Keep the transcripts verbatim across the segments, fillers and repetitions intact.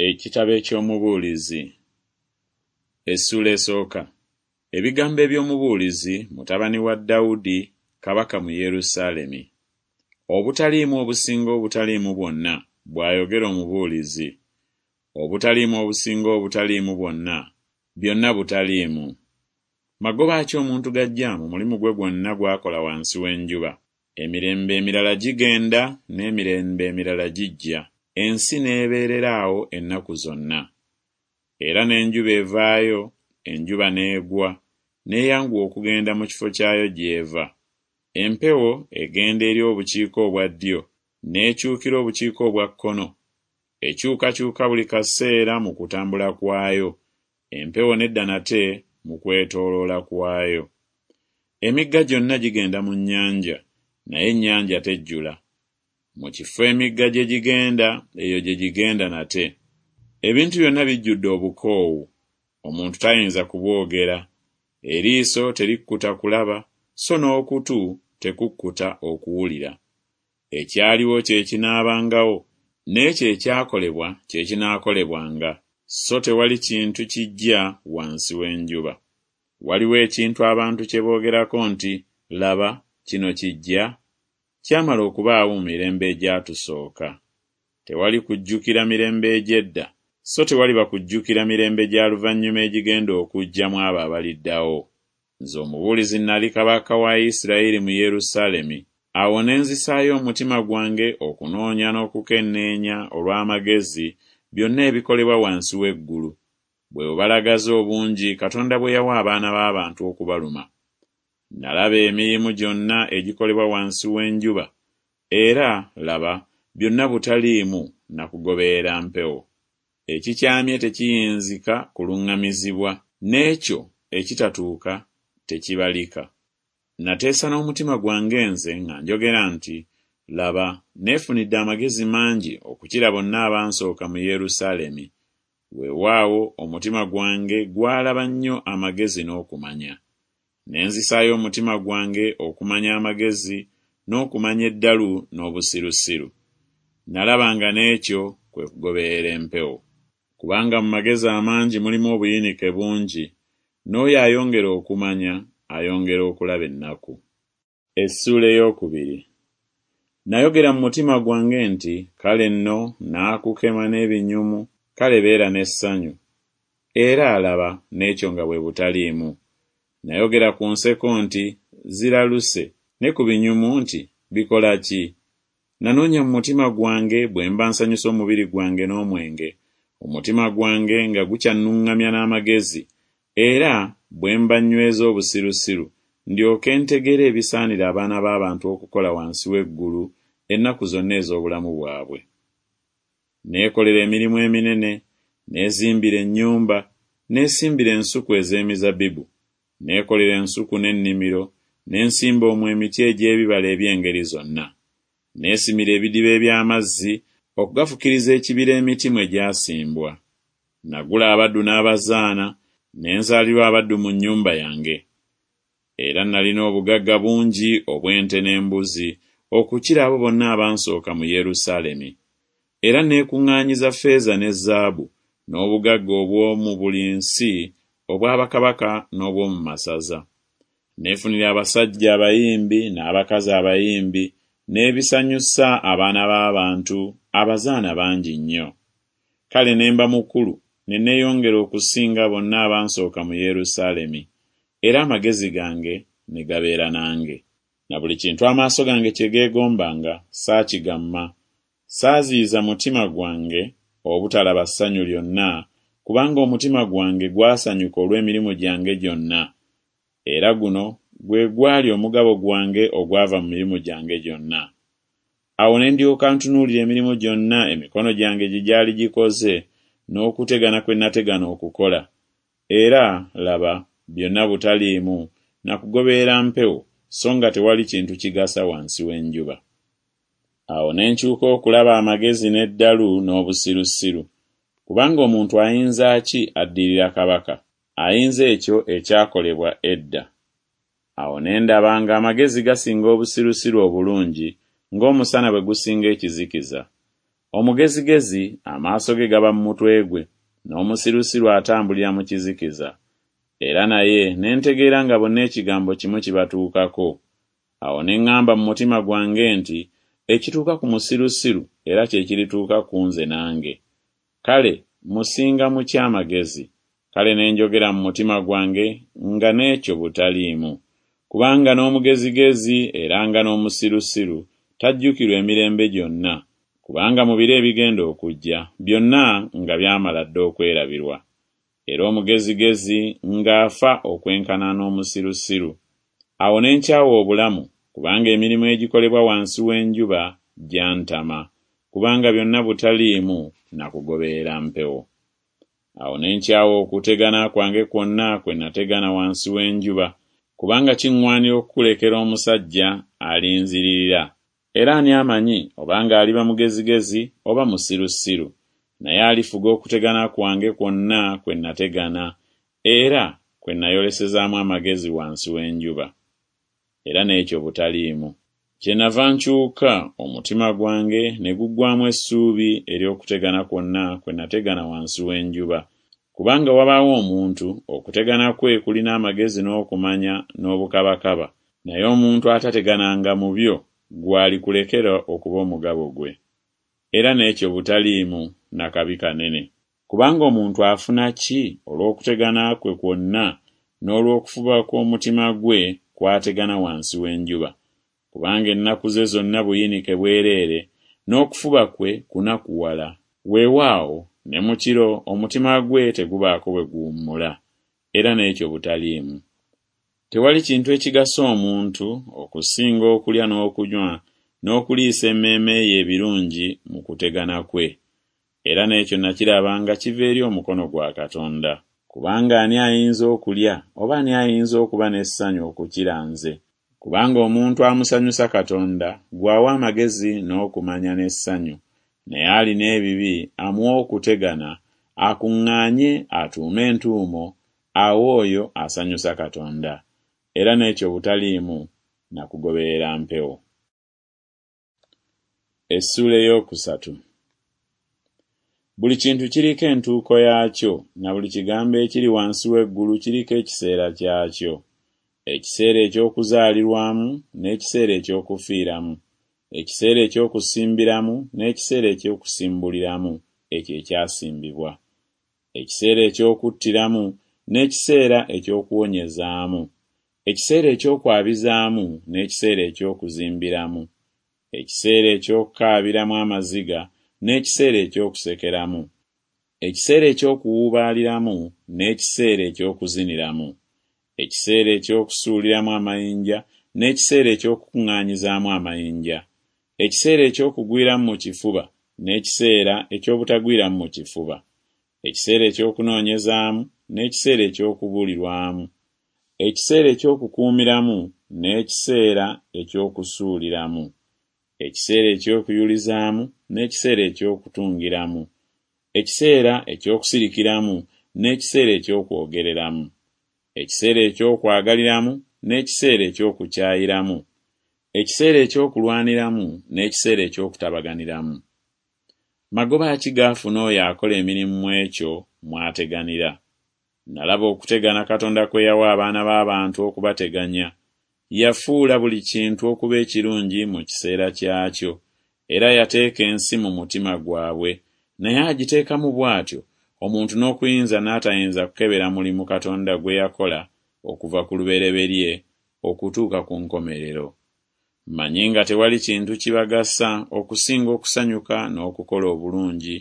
Ekitabo eky'Omubuulizi Essuula esooka. Ebigambo eby'Omubuulizi, mutabani wa Dawudi, kabaka mu Yerusaalemi. Obutaliimu obusinga obutaliimu bwonna, bw'ayogera Omubuulizi. Obutaliimu obusinga obutaliimu bwonna, byonna butaliimu. Magoba ki omuntu g'aggya mu mulimu gwe gwonna gw'akola wansi w'enjuba? Emirembe emirala gigenda, n'emirembe emirala gijja, ensi n'ebeerera awo ennaku zonna. Era n'enjuba evaayo, enjuba n'egwa, n'eyanguwa okugenda mu kifo kyayo gy'eva. Empewo egenda eri obukiika obwa ddyo, n'ekyukira obukiika obwa kkono, ekyukakyuka buli kaseera mu kutambula kwayo, empewo n'edda nate mu kwetooloola kwayo. Emigga gyonna gigenda mu nnyanja, naye ennyanja tejjula. Mu kifo emigga gye gigenda, eyo gye gigenda nate. Ebintu byonna bijjudde obukoowu, omuntu tayinza kubwogera. Eriiso terikkuta kulaba, so n'okutu tekukkuta okuwulira. Ekyaliwo kye kinaabangawo, n'ekyo ekyakolebwa kye kinaakolebwanga, so tewali kintu kiggya wansi w'enjuba. Waliwo ekintu abantu kye boogerako nti Laba, kino kiggya? Kyamala okubaawo mu mirembe egyatusooka. Tewali kujjukira mirembe egy'edda, so tewaliba kujjukira mirembe gya luvannyuma egigenda okujja mu abo abaliddawo. Nze Omubuulizi nali kabaka wa Isirayiri mu Yerusaalemi. Awo ne nzisaayo omutima gwange okunoonya n'okukenneenya olw'amagezi byonna ebikolebwa wansi w'eggulu, bwe bubalagaze obungi Katonda bwe yawa abaana b'abantu okubaluma. Nalaba emirimu gyonna egikolebwa wansi w'enjuba, era, laba, byonna butaliimu na kugoberera mpewo. Ekikyamye tekiyinzika kuluŋŋamizibwa, n'ekyo ekitatuuka tekibalika. Nateesa n'omutima gwange nze nga njogera nti Laba, neefunidde amagezi mangi okukira bonna abansooka mu Yerusaalemi, weewaawo omutima gwange gwalaba nnyo amagezi n'okumanya. Ne nzisaayo omutima gwange okumanya amagezi n'okumanya eddalu n'obusirusiru. Nalaba nga n'ekyo kwe kugoberera empewo. Kubanga mu magezi amangi mulimu obuyinike bungi, n'oyo ayongera okumanya ayongera okulaba ennaku. Essuula ey'okubiri. Nayogera mu mutima gwange nti Kale nno naakukema n'ebinyumu, kale beera n'essanyu. Era, laba, n'ekyo nga bwe butaliimu. Nayogera ku nseko nti Ziraluse, ne ku binyumu nti Bikola ki? Nanoonya mu mutima gwange bwe mba nsanyusa omubiri gwange n'omwenge, omutima gwange nga gukyannuŋŋamya n'amagezi, era bwe mba nnyweza obusirusiru, ndyoke ntegeere ebisaanira abaana b'abantu okukola wansi w'eggulu ennaku zonna ez'obulamu bwabwe. Neekolera emirimu eminene, neezimbira ennyumba, neesimbira ensuku ez'emizabbibu, neekolera ensuku n'ennimiro, ne nsimba omwo emiti egy'ebibala eby'engeri zonna. Neesimira ebidiba eby'amazzi okugafukiriza ekibira emiti mwe gyasimbwa. Nagula abaddu n'abazaana, ne nzaalirwa abaddu mu nnyumba yange. Era nalina obugagga bungi obw'ente n'embuzi okukira abo bonna abansooka mu Yerusaalemi. Era neekuŋŋaanyiza ffeeza ne zaabu, n'obugagga obw'omu buli nsi obwa bakabaka n'obw'omu masaza. Neefunira abasajja abayimbi n'abakazi abayimbi, n'ebisanyusa abaana b'abantu, abazaana bangi nnyo. Kale ne mba mukulu ne neeyongera okusinga bonna abansooka mu Yerusaalemi, era amagezi gange ne gabeera nange. Na buli kintu amaaso gange kye geegombanga saakigamma, saaziyiza mutima gwange obutalaba ssanyu lyonna, kubanga omutima gwange gwasanyuka olw'emirimu gyange gyonna, era guno gwe gwali omugabo gwange ogwava mu mirimu gyange gyonna. Awo ne ndyoka ntunuulira emirimu gyonna emikono gyange gye gyali gikoze n'okutegana kwe nategana okukola, era, laba, byonna butaliimu na kugoberera mpewo, so nga tewali kintu kigasa wansi w'enjuba. Awo ne nkyuka okulaba amagezi n'eddalu n'obusirusiru. Kubanga omuntu ayinza ki addirira kabaka, ayinza ekyo ekyakolebwa edda? Awo ne ndaba ng'amagezi gasinga obusirusiru obulungi, ng'omusana bwe gusinga ekizikiza. Omugezigezi amaaso ge gaba mu mutwe gwe, n'omusirusiru atambulira mu kizikiza. Era naye ne ntegeera nga bonna ekigambo kimu kibatuukako. Awo ne ŋŋamba mu mutima gwange nti Ekituuka ku musirusiru era kye kirituuka ku nze nange. Kale musinga mu ki amagezi? Kale ne njogera mu mutima gwange nga n'ekyo butaliimu. Kubanga n'omugezigezi era nga n'omusirusiru tajjukirwa emirembe gyonna, kubanga mu biro ebigenda okujja byonna nga byamala dda okwerabirwa. Era omugezigezi ng'afa okwenkana n'omusirusiru. Awo ne nkyawa obulamu, kubanga emirimu egikolebwa wansi w'enjuba gyantama, kubanga byonna butaliimu na kugoberera mpewo. Awo ne nkyawa okutegana kwange kwonna kwe nategana wansi w'enjuba, kubanga kiŋŋwanira okukulekera omusajja alinziririra. Era ani amanyi obanga aliba mugezigezi oba musirusiru? Naye alifuga okutegana kwange kwonna kwe nategana, era kwe nayolesezaamu amagezi wansi w'enjuba. Era n'ekyo butaliimu. Kyennava nkyuka omutima gwange ne guggwaamu essuubi ery'okutegana kwonna kwe nategana wansi w'enjuba. Kubanga wabaawo omuntu, okutegana kwe kulina amagezi n'okumanya n'obukabakaba, naye omuntu atategananga mu byo gw'alikulekera okuba omugabo gwe. Era n'ekyo butaliimu na kabi kanene. Kubanga omuntu afuna ki olw'okutegana kwe kwonna n'olw'okufuba kw'omutima gwe kw'ategana wansi w'enjuba? Kubanga ennaku ze zonna buyinike bwereere, n'okufuba kwe kunakuwala. Weewaawo, ne mu kiro omutima gwe tegubaako bwe guwummula. Era n'ekyo butaliimu. Tewali kintu ekigasa omuntu okusinga okulya n'okunywa n'okuliisa emmeeme ye ebirungi mu kutegana kwe. Era n'ekyo nakiraba nga kiva eri omukono gwa Katonda. Kubanga ani ayinza okulya oba ani ayinza okuba n'essanyu okukira nze? Kubanga omuntu amusanyusa Katonda gw'awa amagezi n'okumanya n'essanyu, naye alina ebibi amuwa okutegana, akuŋŋaanye atuume entuumo, awe oyo asanyusa Katonda. Era n'ekyo butaliimu na kugoberera mpewo. Essuula ey'okusatu. Buli kintu kiriko entuuko yaakyo, na buli kigambo ekiri wansi w'eggulu kiriko ekiseera kyakyo. Ekiseera eky'okuzaalirwamu n'ekiseera eky'okufiiramu, ekiseera eky'okusimbiramu n'ekiseera eky'okusimbuliramu ekyo ekyasimbibwa, ekiseera eky'okuttiramu n'ekiseera eky'okuwonyezaamu, ekiseera eky'okwabizaamu n'ekiseera eky'okuzimbiramu, ekiseera eky'okukaabiramu amaziga n'ekiseera eky'okusekeramu, ekiseera eky'okuwuubaaliramu n'ekiseera eky'okuziniramu, ekiseera eky'okusuuliramu amayinja n'ekiseera eky'okukuŋŋaanyizaamu amayinja, ekiseera eky'okugwiramu mu kifuba n'ekiseera eky'obutagwiramu mu kifuba, ekiseera eky'okunoonyezaamu n'ekiseera eky'okubulirwamu, ekiseera eky'okukuumiramu n'ekiseera eky'okusuuliramu, ekiseera eky'okuyulizaamu n'ekiseera eky'okutungiramu, ekiseera eky'okusirikiramu n'ekiseera eky'okwogereramu, ekiseera eky'okwagaliramu n'ekiseera eky'okukyayiramu, ekiseera eky'okulwaniramu n'ekiseera eky'okutabaganiramu. Magoba ki g'afuna oyo akola emirimu mu ekyo mw'ateganira? Nalaba okutegana Katonda kwe yawa abaana b'abantu okubateganya. Yafuula buli kintu okuba ekirungi mu kiseera kyakyo, era yateeka ensi mu mutima gwabwe, naye agiteekamu bw'atyo omuntu n'okuyinza n'atayinza kukebera mulimu Katonda gwe yakola okuva ku lubereberye okutuuka ku nkomerero. Mmanyi nga tewali kintu kibagasa okusinga okusanyuka n'okukola obulungi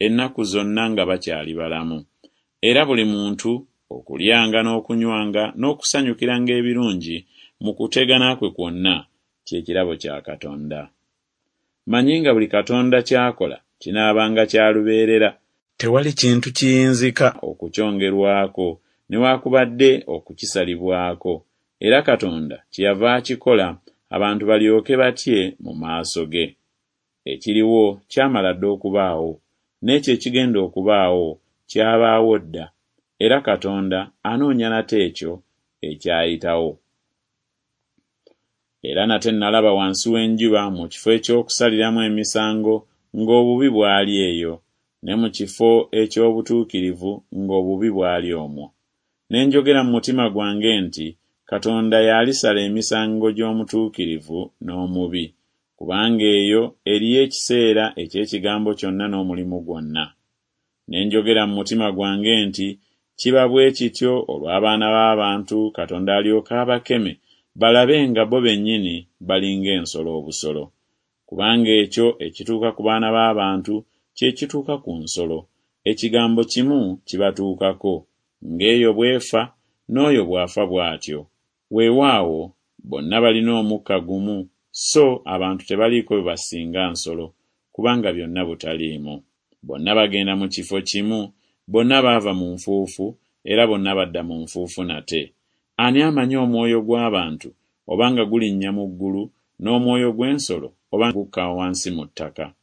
ennaku zonna nga bakyali balamu, era buli muntu okulyanga n'okunywanga n'okusanyukiranga ebirungi mu kutegana kwe kwonna kye kirabo kya Katonda. Mmanyi nga buli Katonda ky'akola kinaabanga kya lubeerera, tewali kintu kiyinzika okukyongerwako newakubadde okukisalibwako, era Katonda kyeyava akikola abantu balyoke batye mu maaso ge. Ekiriwo kyamala dda okubaawo, n'ekyo ekigenda okubaawo kyabaawo dda, era Katonda anoonya nate ekyo ekyayitawo. Era nate nalaba wansi w'enjuba mu kifo eky'okusaliramu emisango ng'obubi bwali eyo, ne mu kifo eky'obutuukirivu ng'obubi bwali omwo. Ne njogera mu mutima gwange nti Katonda y'alisala emisango gy'omutuukirivu n'omubi, kubanga eyo eriyo ekiseera eky'ekigambo kyonna n'omulimu gwonna. Ne njogera mu mutima gwange nti Kiba bwe kityo olw'abaana b'abantu Katonda alyoke abakeme balabe nga bo bennyini bali ng'ensolo obusolo. Kubanga ekyo ekituuka ku baana b'abantu kye kituuka ku nsolo, ekigambo kimu kibatuukako, ng'eyo bw'efa, n'oyo bw'afa bw'atyo. Weewaawo, bonna balina omukka gumu, so abantu tebaliiko bwe basinga nsolo, kubanga byonna butaliimu. Bonna bagenda mu kifo kimu, bonna baava mu nfuufu, era bonna badda mu nfuufu nate. Ani amanyi omwoyo gw'abantu, oba nga gulinnya mu ggulu, n'omwoyo gw'ensolo, oba gukka wansi mu ttaka?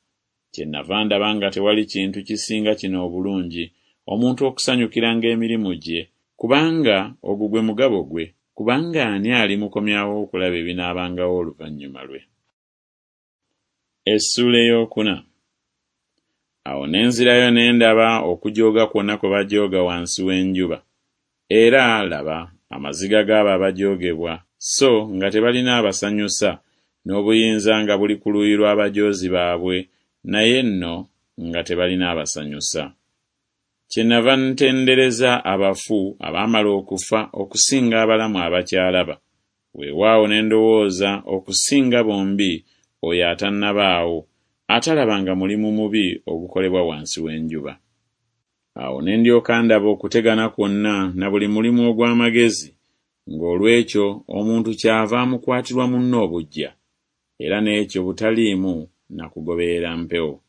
Kyennava ndaba nga tewali kintu kisinga kino obulungi, omuntu okusanyukiranga emirimu gye, kubanga ogwo gwe mugabo gwe, kubanga ani alimukomyawo okulaba ebinaabangawo oluvannyuma lwe? Essuula ey'okuna. Awo ne nzirayo ne ndaba okujooga kwonna kwe bajooga wansi w'enjuba. Era, laba, amaziga g'abo abajoogebwa, so nga tebalina abasanyusa, n'obuyinza nga buli ku luuyi lw'abajoozi baabwe, naye nno nga tebalina abasanyusa. Kyennava ntendereza abafu abaamala okufa okusinga abalamu abakyalaba, weewaawo ne ndowooza okusinga bombi oyo atannabaawo, atalabanga mulimu mubi ogukolebwa wansi w'enjuba. Awo ne ndyoka ndaba okutegana kwonna na buli mulimu ogw'amagezi, ng'olw'ekyo omuntu kyava amukwatirwa munne obuggya, era n'ekyo butaliimu na kugoberera mpewo.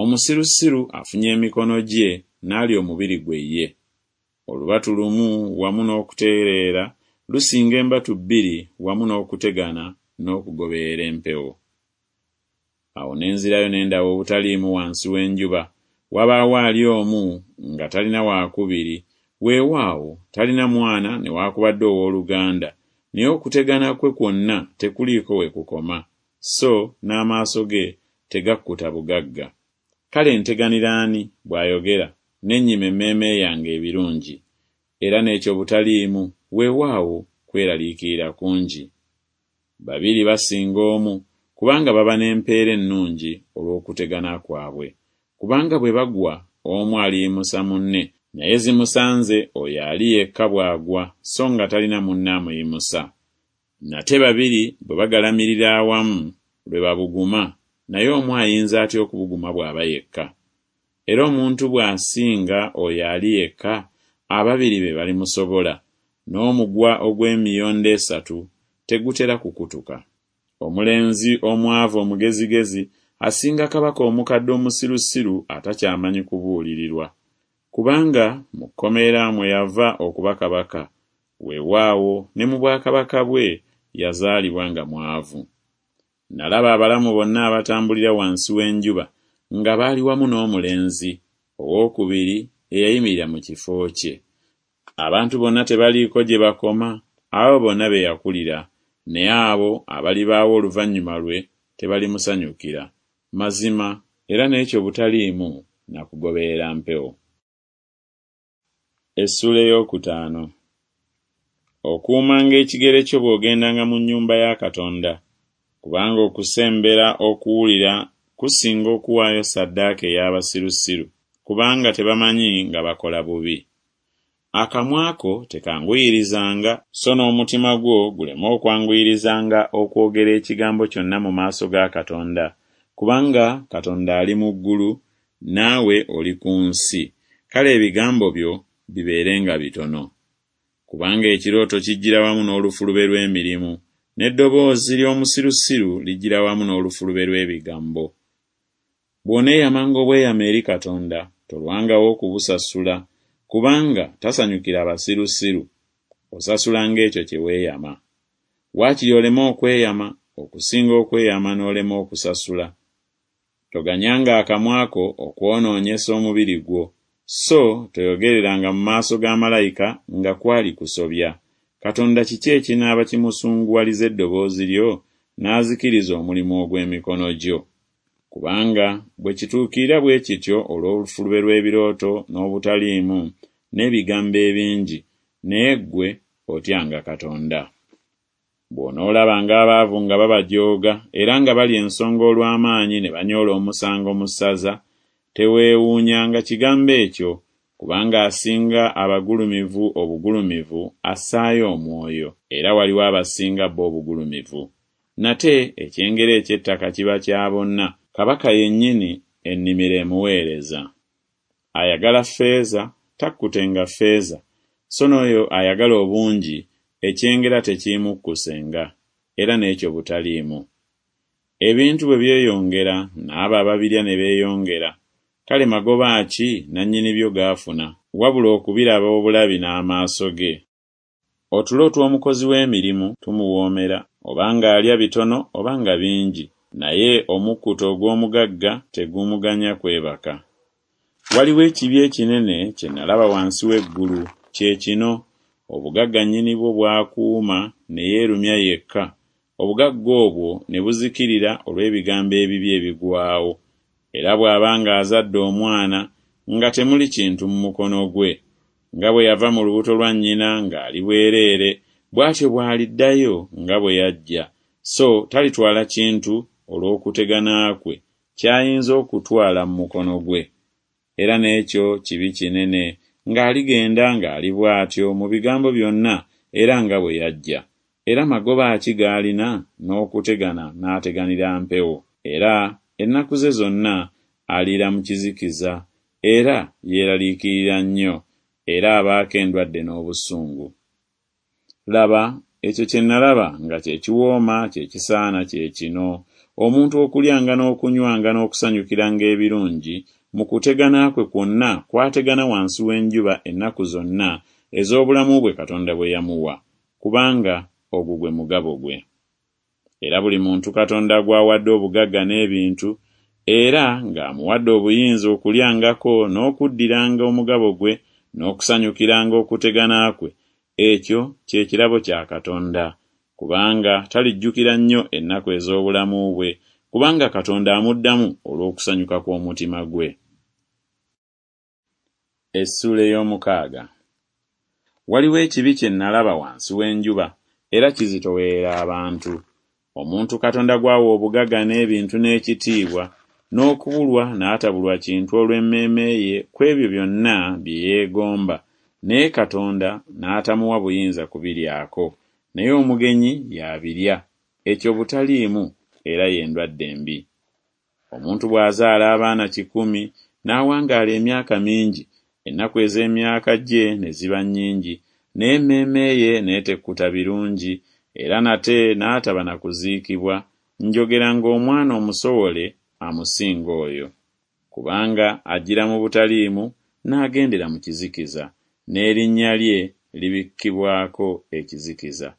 Omusirusiru afunya emikono gye n'alya omubiri gwe ye. Olubatu lumu wamu n'okutereera lusinga embatu bbiri wamu n'okutegana n'okugoberera empewo. Awo ne nzirayo ne ndaba obutaliimu wansi w'enjuba, wabaawo ali omu nga talina waakubiri, weewaawo talina mwana newaakubadde owooluganda, naye okutegana kwe kwonna tekuliiko we kukoma, so n'amaaso ge tegakkuta bugagga. Kale nteganira ani, bw'ayogera, ne nnyima emmeeme yange ebirungi? Era n'ekyo butaliimu, weewaawo kweraliikirira kungi. Babiri basinga omu, kubanga baba n'empeera ennungi olw'okutegana kwabwe. Kubanga bwe bagwa, omu aliyimusa munne, naye zimusanze oyo ali yekka bw'agwa, so nga talina munne amuyimusa. Nate babiri bwe bagalamirira awamu, lwe babuguma, naye omu ayinza atya okubuguma bw'aba yekka? Era omuntu bw'asinga oyo ali yekka, ababiri be balimusobola, n'omugwa ogw'emiyondo esatu tegutera kukutuka. Omulenzi omwavu omugezigezi asinga kabaka omukadde omusirusiru atakyamanyi kubuulirirwa. Kubanga mu kkomera mwe yava okuba kabaka, weewaawo ne mu bwakabaka bwe yazaalibwa nga mwavu. Nalaba abalamu bonna abatambulira wansi w'enjuba nga baali wamu n'omulenzi owookubiri eyayimirira mu kifo kye. Abantu bonna tebaliiko gye bakoma, abo bonna be yakulira, naye abo abalibaawo oluvannyuma lwe tebalimusanyukira. Mazima, era n'ekyo butaliimu na kugoberera mpewo. Essuula ey'okutaano. Okuumanga ekigere kyo bw'ogendanga mu nnyumba ya Katonda, kubanga okusembera okuwulira kusinga okuwaayo ssaddaaka ey'abasirusiru, kubanga tebamanyi nga bakola bubi. Akamwa ko tekanguyirizanga, so n'omutima gwo guleme okwanguyirizanga okwogera ekigambo kyonna mu maaso ga Katonda, kubanga Katonda ali mu ggulu, naawe oli ku nsi, kale ebigambo byo bibeerenga bitono. Kubanga ekirooto kijjira wamu n'olufulube lw'emirimu, n'eddoboozi ly'omusirusiru lijjira wamu n'olufulube lw'ebigambo. Bw'oneeyamanga obweyamo eri Katonda, tolwangawo okubusasula, kubanga tasanyukira abasirusiru, osasulanga ekyo kye weeyama. Waakiri oleme okweyama, okusinga okweyama n'olema okusasula. Toganyanga akamwa ko okwonoonyesa omubiri gwo, so toyogereranga mu maaso ga malayika nga kwali kusobya. Katonda kiki ekinaaba kimusunguwaliza eddoboozi lyo, n'azikiriza omulimu ogw'emikono gyo? Kubanga bwe kituukirira bwe kityo olw'olufulube lw'ebirooto n'obutaliimu n'ebigambo ebingi, naye ggwe otyanga Katonda. Bw'onoolabanga abaavu nga babajooga era nga balya ensonga olw'amaanyi ne banyoola omusango mu ssaza, teweewuunyanga kigambo ekyo, kubanga asinga abagulumivu obugulumivu assaayo omwoyo, era waliwo abasinga bo obugulumivu. Nate ekyengera eky'ettaka kiba kya bonna, kabaka yennyini ennimiro emuweereza. Ayagala ffeeza takkutenga ffeeza, so n'oyo ayagala obungi ekyengera tekiimukkusenga, era n'ekyo butaliimu. Ebintu bwe byeyongera n'abo ababirya ne beeyongera, kale magoba ki nannyini byo g'afuna, wabula okubiraba obulabi n'amaaso ge? Otulo tw'omukozi w'emirimu tumuwoomera, oba ng'alya bitono oba nga bingi, naye omukkuto ogw'omugagga tegumuganya kwebaka. Waliwo ekibi ekinene kye nalaba wansi w'eggulu, kye kino, obugagga nnyini bwo bw'akuuma ne yeerumya yekka, obugagga obwo ne buzikirira olw'ebigambo ebibi ebigwawo. Era bw'aba ng'azadde omwana, nga temuli kintu mu mukono gwe. Nga bwe yava mu lubuto lwa nnyina ng'ali bwereere, bw'atyo bw'aliddayo nga bwe yajja, so talitwala kintu olw'okutegana kwe ky'ayinza okutwala mu mukono gwe. Era n'ekyo kibi kinene, ng'aligenda ng'ali bw'atyo mu bigambo byonna era nga bwe yajja. Era magoba ki g'alina n'okutegana n'ateganira mpewo? Era ennaku ze zonna aliira mu kizikiza, era yeeraliikirira nnyo, era abaako endwadde n'obusungu. Laba, ekyo kye nalaba nga kye kiwooma kye kisaana kye kino, omuntu okulyanga n'okunywanga n'okusanyukiranga ebirungi mu kutegana kwe kwonna kw'ategana wansi w'enjuba ennaku zonna ez'obulamu bwe Katonda bwe yamuwa, kubanga ogwo gwe mugabo gwe. Era buli muntu Katonda gw'awadde obugagga n'ebintu, era ng'amuwadde obuyinza okulyangako n'okuddiranga omugabo gwe n'okusanyukiranga okutegana kwe, ekyo kye kirabo kya Katonda, kubanga talijjukira nnyo ennaku ez'obulamu bwe, kubanga Katonda amuddamu olw'okusanyuka kw'omutima gwe. Essuula ey'omukaaga. Waliwo ekibi kye nalaba wansi w'enjuba, era kizitoowerera abantu. Omuntu Katonda gw'awa obugagga n'ebintu n'ekitiibwa, n'okubulwa n'atabulwa kintu olw'emmeeme ye ku ebyo byonna bye yeegomba, naye Katonda n'atamuwa buyinza kubiryako, naye omugenyi y'abirya, ekyo butaliimu era ye ndwadde embi. Omuntu bw'azaala abaana kikumi n'awangaala emyaka mingi, ennaku ez'emyaka gye ne ziba nnyingi, naye emmeeme ye n'etekkuta birungi, era nate n'ataba na kuziikibwa, njogera ng'omwana omusowole amusinga oyo. Kubanga ajjira mu butaliimu n'agendera mu kizikiza, n'erinnya lye libikkibwako ekizikiza.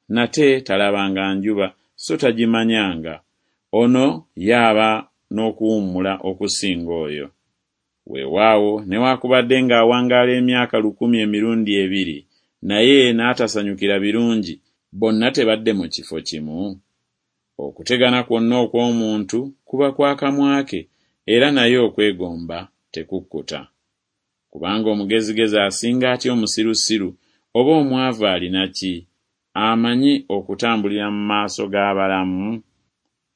Nate talabanga njuba so tagimanyanga, ono ye aba n'okuwummula okusinga oyo. Weewaawo newaakubadde ng'awangaala emyaka lukumi emirundi ebiri, naye n'atasanyukira birungi, bonna tebadde mu kifo kimu? Okutegana kwonna okw'omuntu kuba kwa kamwa ke, era naye okwegomba tekukkuta. Kubanga omugezigezi asinga atya omusirusiru, oba omwavu alina ki, amanyi okutambulira mu maaso g'abalamu?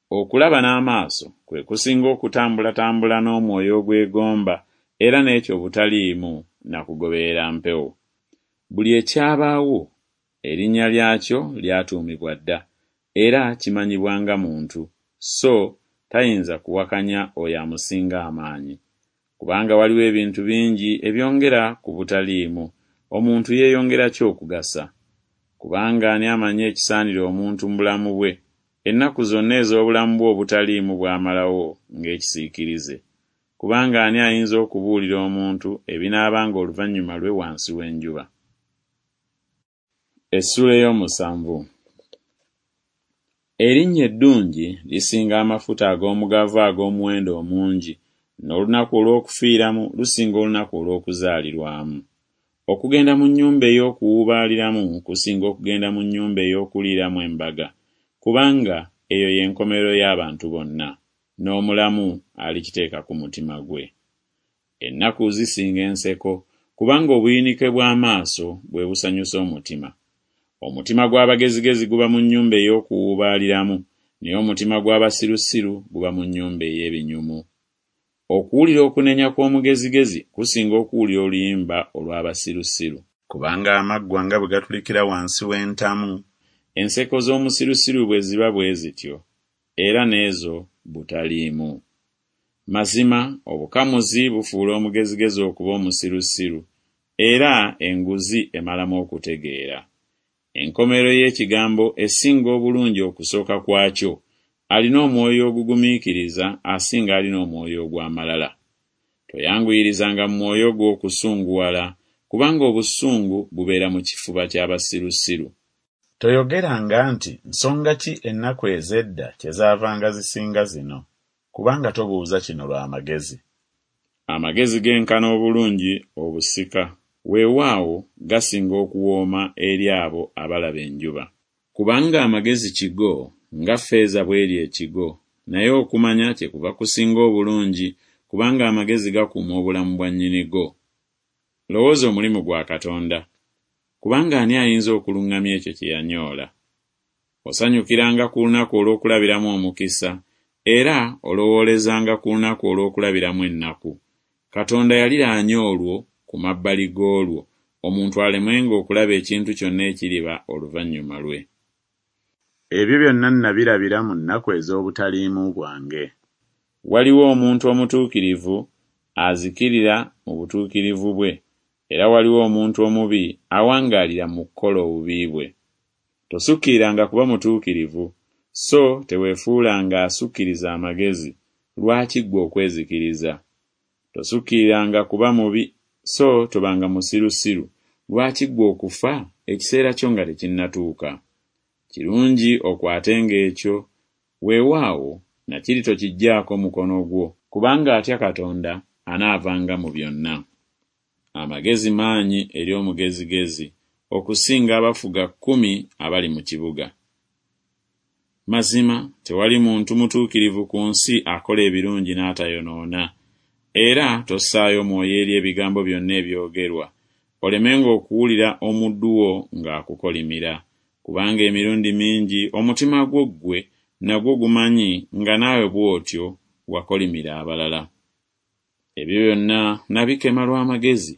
Okulaba n'amaaso kwe kusinga okutambulatambula n'omwoyo ogwegomba, era n'ekyo butaliimu na kugoberera mpewo. Buli ekyabaawo, erinnya lyakyo lyatuumibwa dda, era kimanyibwa nga muntu, so tayinza kuwakanya oyo amusinga amaanyi. Kubanga waliwo ebintu bingi ebyongera ku butaliimu, omuntu yeeyongera ki okugasa? Kubanga ani amanyi ekisaanira omuntu mu bulamu bwe, ennaku zonna ez'obulamu bwe obutaliimu bw'amalawo ng'ekisiikirize? Kubanga ani ayinza okubuulira omuntu ebinaabanga oluvannyuma lwe wansi w'enjuba? Essuula ey'omusanvu. Erinnya eddungi lisinga amafuta ag'omugavu ag'omuwendo omungi, n'olunaku olw'okufiiramu lusinga olunaku olw'okuzaalirwamu. Okugenda mu nnyumba ey'okuwuubaaliramu kusinga okugenda mu nnyumba ey'okuliiramu embaga, kubanga eyo y'enkomerero y'abantu bonna. n'omulamu alikiteeka ku mutima gwe. Ennaku zisinga enseko, kubanga obuyinike bw'amaaso bwe busanyusa omutima. Omutima gw'abagezigezi guba mu nnyumba ey'okuwuubaaliramu, naye omutima gw'abasirusiru guba mu nnyumba ey'ebinyumu. Okuwulira okunenya kw'omugezigezi kusinga okuwulira oluyimba olw'abasirusiru. Kubanga amaggwa nga bwe gatulikira wansi w'entamu, Enseko z'omusirusiru bwe ziba bwe zityo, era n'ezo butaliimu. Mazima obukamuzi bufuula omugezigezi okuba omusirusiru, era enguzi emalamu okutegeera. Enkomerero y'ekigambo esinga obulungi okusooka kwakyo, alina omwoyo ogugumiikiriza asinga alina omwoyo ogw'amalala. Toyanguyirizanga mu mwoyo gwo okusunguwala, kubanga obusungu bubeera mu kifuba ky'abasirusiru. Toyogeranga nti Nsonga ki ennaku ez'edda kyezaavanga zisinga zino? Kubanga tobuuza kino lwa magezi. Amagezi genkana obulungi obusika, weewaawo, gasinga okuwooma eri abo abalaba enjuba. Kubanga amagezi kigo, nga ffeeza bw'eri ekigo, naye okumanya kyekuva kusinga obulungi, kubanga amagezi gakuuma obulamu bwa nnyinigo. Lowooza omulimu gwa Katonda, kubanga ani ayinza okuluŋŋamya ekyo kye yanyoola? Osanyukiranga ku lunaku olw'okulabiramu omukisa, era olowoolezanga ku lunaku olw'okulabiramu ennaku. Katonda yaliraanya olwo ku mabbali g'olwo, omuntu alemenga okulaba ekintu kyonna ekiriba oluvannyuma lwe. Ebyo byonna nabirabira mu nnaku ez'obutaliimu bwange. Waliwo omuntu omutuukirivu azikirira mu butuukirivu bwe, era waliwo omuntu omubi awangaalira mu kukola obubi bwe. Tosukkiriranga kuba mutuukirivu, so teweefuulanga asukkiriza amagezi, lwaki ggwe okwezikiriza? Tosukkiriranga kuba mubi, so tobanga musirusiru, lwaki ggwe okufa ekiseera kyo nga tekinnatuuka? Kirungi okwatenga ekyo, weewaawo, na kiri tokiggyaako mukono gwo, kubanga atya Katonda anaavanga mu byonna. Amagezi maanyi eri omugezigezi okusinga abafuga kkumi abali mu kibuga. Mazima tewali muntu mutuukirivu ku nsi akola ebirungi n'atayonoona. Era tossaayo mwoyo eri ebigambo byonna ebyogerwa, olemenga okuwulira omuddu wo ng'akukolimira, kubanga emirundi mingi omutima gwo ggwe nagwo gumanyi nga naawe bw'otyo wakolimira abalala. Ebyo byonna nabikema lwa magezi,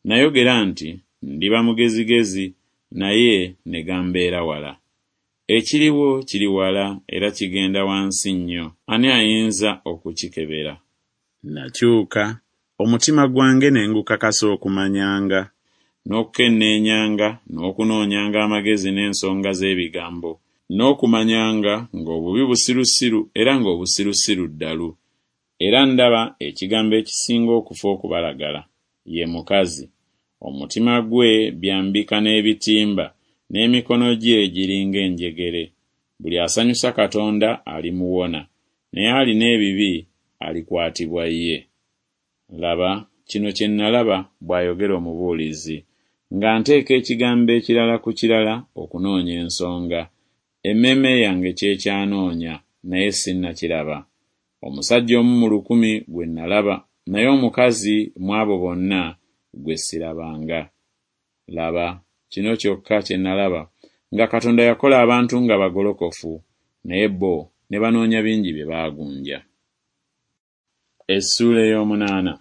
nayogera nti Ndiba mugezigezi, naye ne gambeera wala. Ekiriwo kiri wala era kigenda wansi nnyo, ani ayinza okukikebera? Nakyuka, omutima gwange ne ngukakasa okumanyanga, n'okukenneenyanga n'okunoonyanga amagezi n'ensonga z'ebigambo, n'okumanyanga ng'obubi busirusiru era ng'obusirusiru ddalu. Era ndaba ekigambo ekisinga okufa okubalagala, ye mukazi, omutima gwe byambika n'ebitimba, n'emikono gye giri ng'enjegere. Buli asanyusa Katonda alimuwona, naye alina ebibi alikwatibwa ye. Laba, kino kye nnalaba, bw'ayogera Omubuulizi, nga nteeka ekigambo ekirala ku kirala okunoonya ensonga, emmeeme yange ky'ekyanoonya, naye sinnakiraba. Omusajja omu mu lukumi gwe nnalaba, naye omukazi mu abo bonna gwe ssirabanga. Laba, kino kyokka kye nnalaba, nga Katonda yakola abantu nga bagolokofu, naye bo ne banoonya bingi bye baagunja. Essuula ey'omunaana.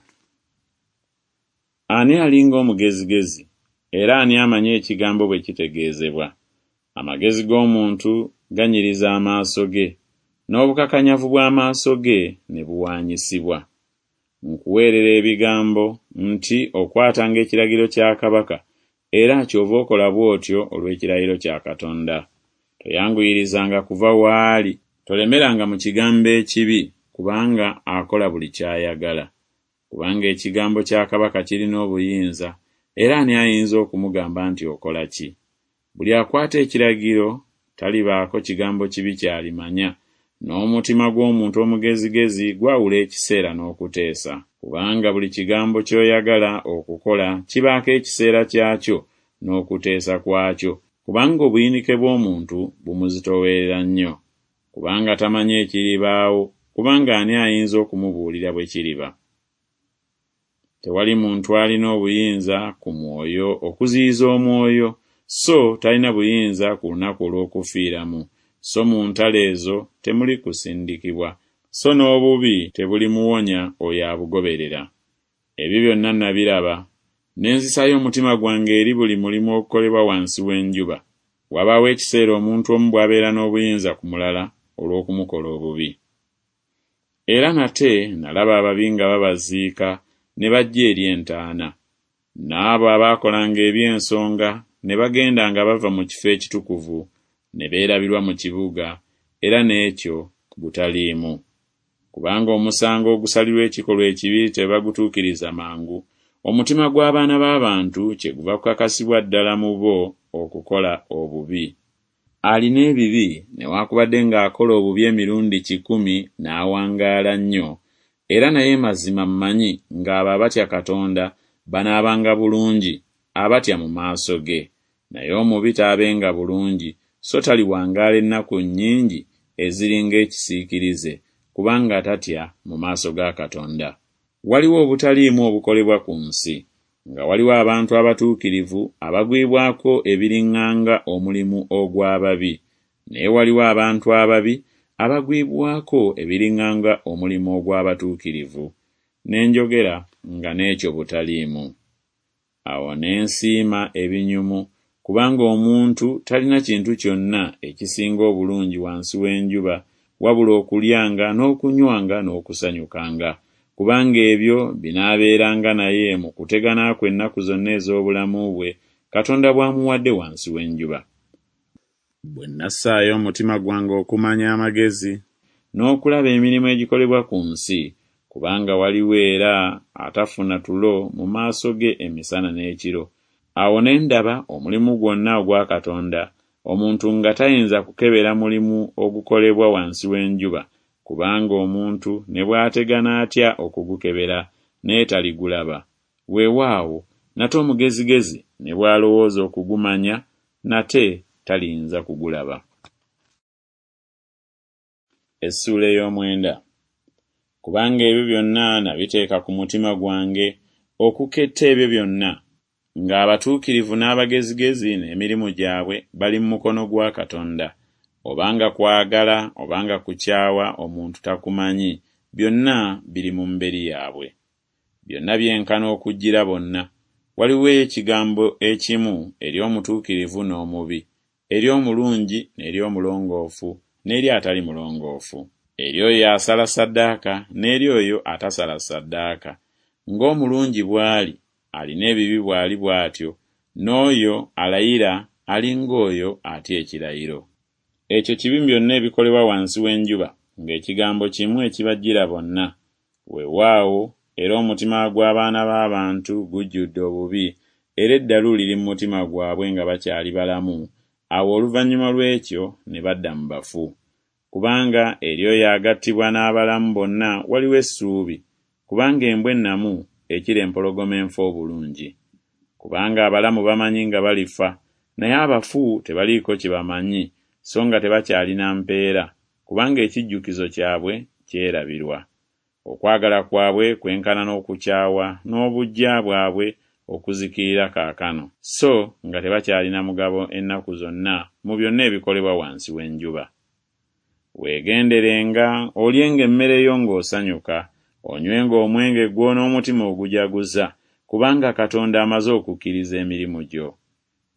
Ani alinga omugezigezi, era ani amanyi ekigambo bwe kitegeezebwa? Amagezi g'omuntu ganyiriza amaaso ge, n'obukakanyavu bw'amaaso ge ne buwaanyisibwa. Nkuweerera ebigambo nti Okwatanga ekiragiro kya kabaka, era kyova okola bw'otyo olw'ekirayiro kya Katonda. Toyanguyirizanga kuva w'ali, tolemeranga mu kigambo ekibi, kubanga akola buli ky'ayagala. Kubanga ekigambo kya kabaka kirina obuyinza, era ani ayinza okumugamba nti Okola ki? Buli akwata ekiragiro talibaako kigambo kibi ky'alimanya, n'omutima gw'omuntu omugezigezi gwawula ekiseera n'okuteesa. Kubanga buli kigambo ky'oyagala okukola kibaako ekiseera kyakyo n'okuteesa kwakyo, kubanga obuyinike bw'omuntu bumuzitoowerera nnyo. Kubanga tamanyi ekiribaawo, kubanga ani ayinza okumubuulira bwe kiriba? Tewali muntu alina obuyinza ku mwoyo okuziyiza omwoyo, so talina buyinza ku lunaku olw'okufiiramu, so mu ntalo ezo temuli kusindikibwa, so n'obubi tebulimuwonya oyo abugoberera. Ebyo byonna nabiraba, ne nzisaayo omutima gwange eri buli mulimu ogukolebwa wansi w'enjuba. Wabaawo ekiseera omuntu omu bw'abeera n'obuyinza ku mulala olw'okumukola obubi. Era nate nalaba ababi nga babaziika ne bajja eri entaana, n'abo abaakolanga eby'ensonga ne bagenda nga bava mu kifo ekitukuvu ne beerabirwa mu kibuga, era n'ekyo butaliimu. Kubanga omusango ogusalirwa ekikolwa ekibi tebagutuukiriza mangu, omutima gw'abaana b'abantu kyeguva kukakasibwa ddala mu bo okukola obubi. Alina ebibi newakubadde ng'akola obubi emirundi kikumi n'awangaala nnyo, era naye mazima mmanyi ng'abo abatya Katonda banaabanga bulungi, abatya mu maaso ge. Naye omubi taabenga bulungi, so taliwangaala ennaku nnyingi eziri ng'ekisiikirize, kubanga tatya mu maaso ga Katonda. Waliwo obutaliimu obukolebwa ku nsi, nga waliwo abantu abatuukirivu abagwibwako ebiriŋŋanga omulimu ogw'ababi, naye waliwo abantu ababi abagwibwako ebiriŋŋanga omulimu ogw'abatuukirivu. Ne njogera nga n'ekyo butaliimu. Awo ne nsiima ebinyumu, kubanga omuntu talina kintu kyonna ekisinga obulungi wansi w'enjuba wabula okulyanga n'okunywanga n'okusanyukanga, kubanga ebyo binaabeeranga naye mu kutegana kwe ennaku zonna ez'obulamu bwe Katonda bw'amuwadde wansi w'enjuba. Bwe nassaayo omutima gwange okumanya amagezi n'okulaba emirimu egikolebwa ku nsi, kubanga waliwo era atafuna tulo mu maaso ge emisana n'ekiro, awo ne ndaba omulimu gwonna ogwa Katonda, omuntu nga tayinza kukebera mulimu ogukolebwa wansi w'enjuba, kubanga omuntu ne bw'ategana atya okugukebera, naye taligulaba. Weewaawo, nate omugezigezi ne bw'alowooza okugumanya, nate taliyinza kugulaba. Essuula ey'omwenda. Kubanga ebyo byonna nabiteeka ku mutima gwange okuketta ebyo byonna, ng'abatuukirivu n'abagezigezi n'emirimu gyabwe bali mu mukono gwa Katonda, obanga kwagala obanga kukyawa omuntu takumanyi, byonna biri mu mberi yaabwe. Byonna byenkana okujjira bonna. Waliwo ekigambo ekimu eri omutuukirivu n'omubi, eri omulungi n'eri omulongoofu n'eri atali mulongoofu, eri oyo asala ssaddaaka n'eri oyo atasala ssaddaaka. Ng'omulungi bw'ali alina ebibi bw'ali bw'atyo, n'oyo alayira ali ng'oyo atya ekirayiro. Ekyo kibi mu byonna ebikolebwa wansi w'enjuba, ng'ekigambo kimu ekibajjira bonna. Weewaawo, era omutima gw'abaana b'abantu gujjudde obubi, era eddalu liri mu mutima gwabwe nga bakyali balamu, awo oluvannyuma lw'ekyo ne badda mu bafu. Kubanga eri oyo agattibwa n'abalamu bonna waliwo essuubi, kubanga embwa ennamu ekira empologoma enfu obulungi. Kubanga abalamu bamanyi nga balifa, naye abafu tebaliiko kye bamanyi, so nga tebakyalina mpeera, kubanga ekijjukizo kyabwe kyerabirwa. Okwagala kwabwe kwenkana n'okukyawa n'obuggya bwabwe okuzikirira kaakano, so nga tebakyalina mugabo ennaku zonna mu byonna ebikolebwa wansi w'enjuba. Weegenderenga, olyenga emmere yo ng'osanyuka, onywenga omwenge gwo n'omutima ogujaguza, kubanga Katonda amaze okukkiriza emirimu gyo.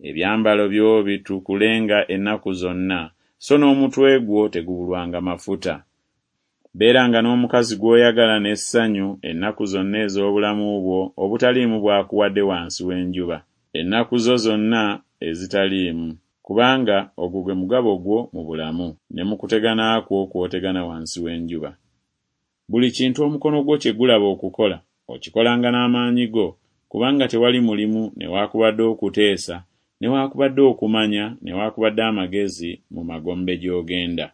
Ebyambalo byo bitukulenga ennaku zonna, so n'omutwe gwo tegubulwanga mafuta. Beeranga n'omukazi gw'oyagala n'essanyu ennaku zonna ez'obulamu bwo obutaliimu bw'akuwadde wansi w'enjuba, ennaku zo zonna ezitaliimu, kubanga ogwo gwe mugabo gwo mu bulamu, ne mu kutegana kwo kw'otegana wansi w'enjuba. Buli kintu omukono gwo kye gulaba okukola, okikolanga n'amaanyi go, kubanga tewali mulimu newaakubadde okuteesa newaakubadde okumanya newaakubadde amagezi mu magombe gy'ogenda.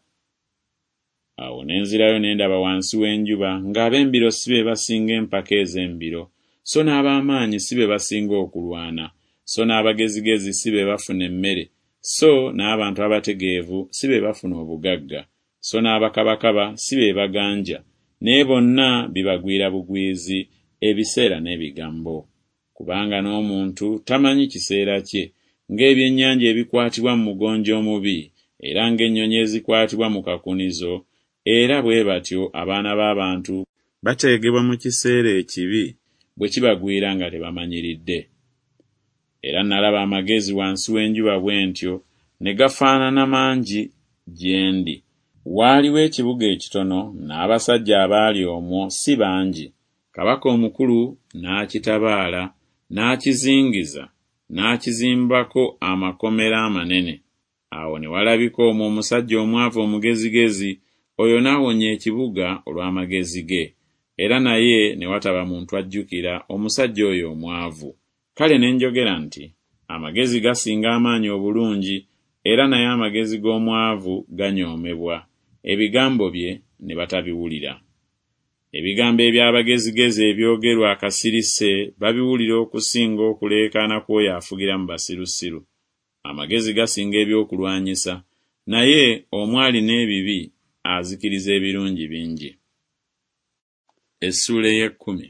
Awo ne nzirayo ne ndaba wansi w'enjuba ng'ab'embiro si be basinga empaka ez'embiro, so n'ab'amaanyi si be basinga okulwana, so n'abagezigezi si be bafuna emmere, so n'abantu abategeevu si be bafuna obugagga, so n'abakabakaba si be baganja, naye bonna bibagwira bugwizi ebiseera n'ebigambo. Kubanga n'omuntu tamanyi kiseera kye, ng'ebyennyanja ebikwatibwa mu mugonjo omubi, era ng'ennyonyi ezikwatibwa mu kakunizo, era bwe batyo abaana b'abantu bateegebwa mu kiseera ekibi bwe kibagwira nga tebamanyiridde. Era nalaba amagezi wansi w'enjuba bwe ntyo, ne gafaanana mangi gye ndi. Waaliwo ekibuga ekitono, n'abasajja abaali omwo si bangi. Kabaka omukulu n'akitabaala, n'akizingiza, n'akizimbako amakomera amanene. Awo ne walabika omwo omusajja omwavu omugezigezi, oyo n'awonya ekibuga olw'amagezi ge, era naye ne wataba muntu ajjukira omusajja oyo omwavu. Kale ne njogera nti Amagezi gasinga amaanyi obulungi, era naye amagezi g'omwavu ganyoomebwa, ebigambo bye ne batabiwulira. Ebigambo eby'abagezigezi ebyogerwa akasirise babiwulira okusinga okuleekaana kw'oyo afugira mu basirusiru. Amagezi gasinga ebyokulwanyisa, naye omu alina ebibi azikiriza ebirungi bingi. Essuula ey'ekkumi.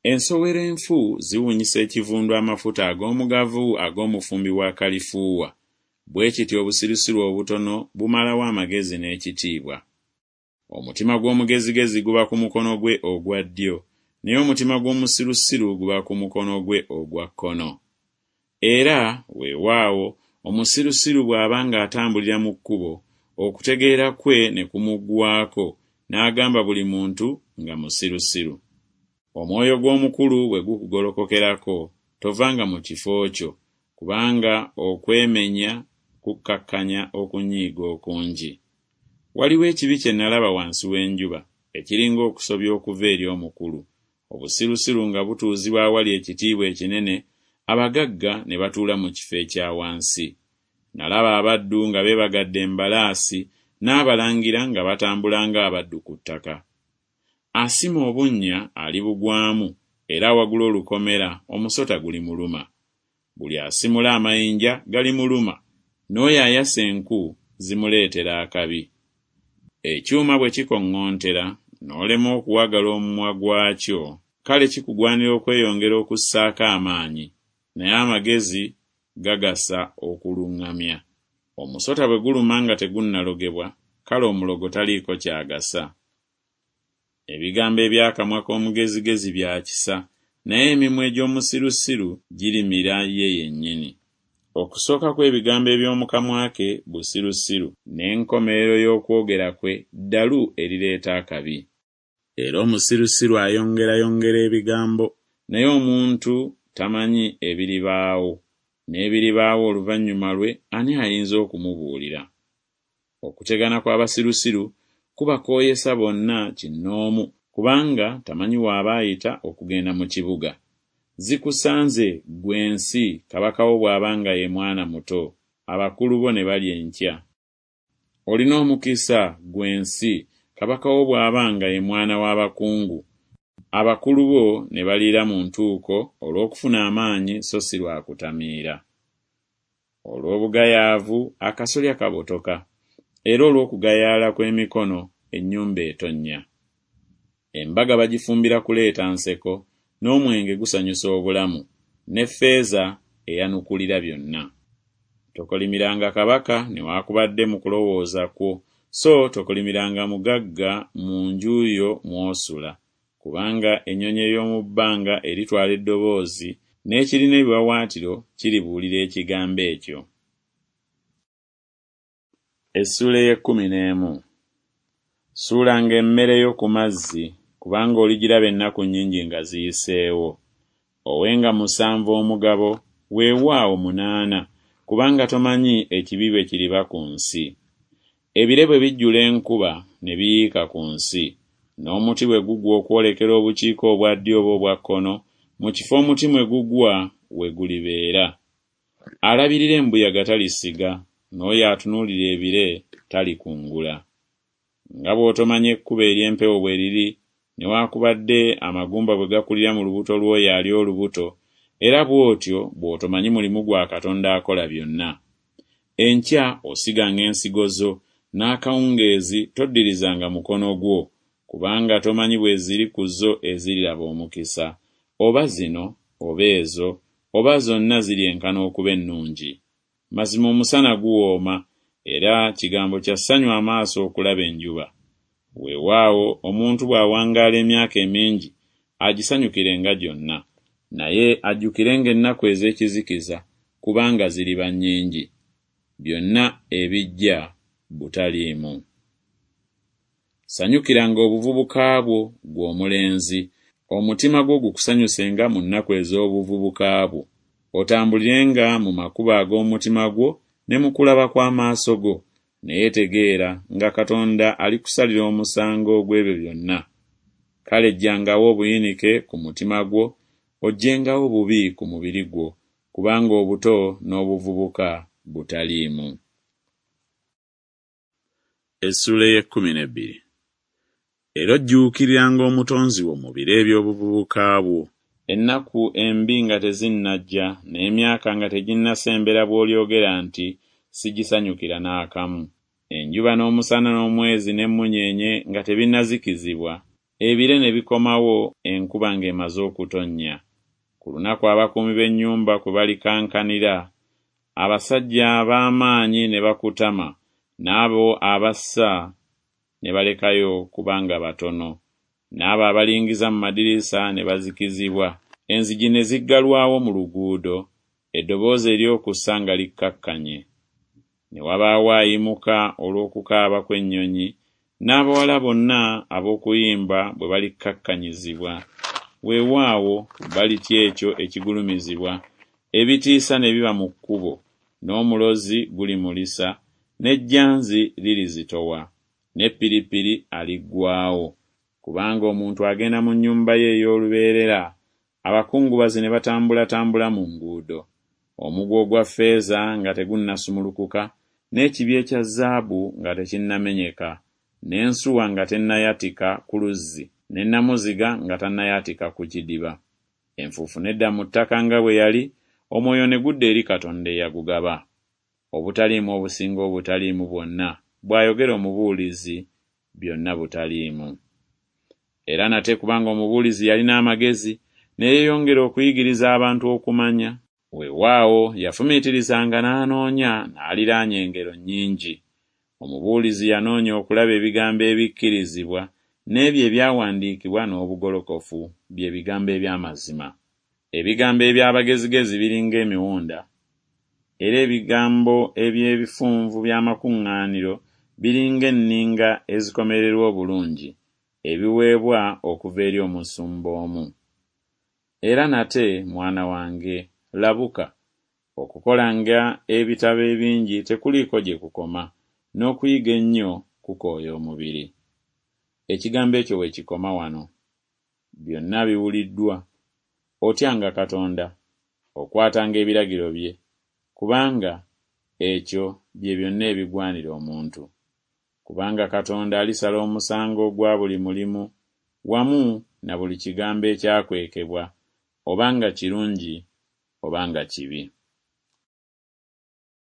Ensowera enfu ziwunyisa ekivundu amafuta ag'omugavu ag'omufumbi wa kalifuuwa, bwe kityo obusirusiru obutono bumalawo amagezi n'ekitiibwa. Omutima gw'omugezigezi guba ku mukono gwe ogwa ddyo, naye omutima gw'omusirusiru guba ku mukono gwe ogwa kkono. Era, weewaawo, omusirusiru bw'aba ng'atambulira mu kkubo, okutegeera kwe ne kumuggwaako, n'agamba buli muntu nga musirusiru. Omwoyo gw'omukulu bwe gukugolokokerako, tovanga mu kifo kyo, kubanga okwemenya kukkakkanya okunyiiga okungi. Waliwo ekibi kye nalaba wansi w'enjuba, ekiringa okusobya okuva eri omukulu, obusirusiru nga butuuzibwa awali ekitiibwa ekinene, abagagga ne batuula mu kifo ekya wansi. Nalaba abaddu nga beebagadde embalaasi, n'abalangira nga batambula ng'abaddu ku ttaka. Asima obunnya alibugwamu, era awagula olukomera omusota gulimuluma. Buli asimula amayinja galimuluma, n'oyo ayasa enku zimuleetera akabi. Ekyuma bwe kikoŋŋontera, n'olema okuwagala omumwa gwakyo, kale kikugwanira okweyongera okussaako amaanyi, naye amagezi gagasa okuluŋŋamya. Omusota bwe guluma nga tegunnalogebwa, kale omulogo taliiko ky'agasa. Ebigambo eby'akamwa k'omugezigezi bya kisa, naye emimwa egy'omusirusiru girimira ye yennyini. Okusooka kw'ebigambo eby'omu kamwa ke busirusiru, n'enkomerero y'okwogera kwe ddalu erireeta akabi. Era omusirusiru ayongerayongera ebigambo. Naye omuntu tamanyi ebiribaawo, n'ebiribaawo oluvannyuma lwe ani ayinza okumubuulira? Okutegana kw'abasirusiru kubakooyesa bonna kinnoomu, kubanga tamanyi w'aba ayita okugenda mu kibuga. Zikusanze ggwe ensi kabaka wo bw'aba nga ye mwana muto, abakulu bo ne balya enkya. Olina omukisa ggwe ensi kabaka wo bw'aba nga ye mwana w'abakungu, abakulu bo ne baliira mu ntuuko olw'okufuna amaanyi so si lwa kutamiira. Olw'obugayaavu akasolya kabotoka, era olw'okugayaala kw'emikono ennyumba etonnya. Embaga bagifumbira kuleeta nseko, n'omwenge gusanyusa obulamu, ne ffeeza eyanukulira byonna. Tokolimiranga kabaka newaakubadde mu kulowooza kwo, so tokolimiranga mugagga mu nju yo mw'osula, kubanga ennyonyi ey'omu bbanga eritwala eddoboozi, n'ekirina ebiwaawaatiro kiribuulira ekigambo ekyo. Essuula ey'ekkumi n'emu. Suulanga emmere yo ku mazzi, kubanga oligiraba ennaku nnyingi nga ziyiseewo. Owenga musanvu omugabo, weewaawo munaana, kubanga tomanyi ekibi bwe kiriba ku nsi. Ebire bwe bijjula enkuba ne biyiika ku nsi, n'omuti bwe gugwa okwolekera obukiika obwa ddyo oba obwa kkono, mu kifo omuti mwe gugwa we gulibeera. Alabirira embuyaga talisiga, n'oyo atunuulira ebire talikungula. Nga bw'otomanya ekkubo ery'empewo bwe liri, newaakubadde amagumba bwe gakulira mu lubuto lw'oyo ali olubuto, era bw'otyo bw'otomanyi mulimu gwa Katonda akola byonna. Enkya osiganga ensigo zo, n'akawungeezi toddirizanga mukono gwo, kubanga tomanyi bwe ziri ku zo eziriraba omukisa, oba zino, oba ezo, oba zonna ziryenkana okuba ennungi. Mazima omusana guwooma, era kigambo kya ssanyu amaaso okulaba enjuba. Weewaawo omuntu bw'awangaala emyaka emingi, agisanyukirenga gyonna. Naye ajjukirenga ennaku ez'ekizikiza, kubanga ziriba nnyingi. Byonna ebijja butaliimu. Sanyukiranga obuvubuka bwo, ggwe omulenzi, omutima gwo gukusanyusenga mu nnaku ez'obuvubuka bwo, otambulirenga mu makubo ag'omutima gwo ne mu kulaba kw'amaaso go, naye tegeera nga Katonda alikusalira omusango ogw'ebyo byonna. Kale ggyangawo obuyinike ku mutima gwo, oggyengawo obubi ku mubiri gwo, kubanga obuto n'obuvubuka butaliimu. Essuula ey'ekkumi n'ebbiri. Era ojjuukiriranga Omutonzi wo mu biro eby'obuvubuka bwo. Ennaku embi nga tezinnajja, n'emyaka nga teginnasembera bw'olyogera nti Sigisanyukira n'akamu. Enjuba n'omusana n'omwezi n'emmunyeenye nga tebinnazikizibwa, ebire ne bikomawo enkuba ng'emaze okutonnya, ku lunaku abakuumi b'ennyumba kwe balikankanira, abasajja ab'amaanyi ne bakutama, n'abo abassa ne balekayo kubanga batono, n'abo abalingiza mu madirisa ne bazikizibwa, enzigi ne ziggalwawo mu luguudo, eddoboozi ery'okussa nga likkakkanye. Ne wabaawo ayimuka olw'okukaaba kw'ennyonyi, n'abawala bonna ab'okuyimba bwe balikkakkanyizibwa, weewaawo balitya ekyo ekigulumizibwa, ebitiisa ne biba mu kkubo, n'omulozi gulimulisa, n'ejjanzi lirizitowa, ne ppiripiri aliggwaawo, kubanga omuntu agenda mu nnyumba ye ey'olubeerera, abakungubazi ne batambulatambula mu nguudo, omuguwa ogwa ffeeza nga tegunnasumulukuka, n'ekibya ekya zaabu nga tekinnamenyeka, n'ensuwa nga tennayatika ku luzzi, ne nnamuziga nga tannayatika ku kidiba. Enfuufu n'edda mu ttaka nga bwe yali, omwoyo ne gudda eri Katonda eyagugaba. Obutaliimu obusinga obutaliimu bwonna, bw'ayogera Omubuulizi, byonna butaliimu. Era nate kubanga Omubuulizi yalina amagezi, ne yeeyongera okuyigiriza abantu okumanya, weewaawo yafumiitirizanga n'anoonya n'aliraanya engero nnyingi. Omubuulizi yanoonya okulaba ebigambo ebikkirizibwa, n'ebyo ebyawandiikibwa n'obugolokofu, bye bigambo eby'amazima. Ebigambo eby'abagezigezi biringa emiwunda, era ebigambo eby'ebifunvu by'amakuŋŋaaniro biringa enninga ezikomererwa obulungi, ebiweebwa okuva eri omusumba omu. Era nate, mwana wange, labuka. Okukolanga ebitabo ebingi tekuliiko gye kukoma, n'okuyiga ennyo kukooya omubiri. Ekigambo ekyo we kikoma wano. Byonna biwuliddwa. Otyanga Katonda, okwatanga ebiragiro bye, kubanga ekyo bye byonna ebigwanira omuntu. Kubanga Katonda alisala omusango ogwa buli mulimu, wamu na buli kigambo ekyakwekebwa, oba nga kirungi oba nga kibi.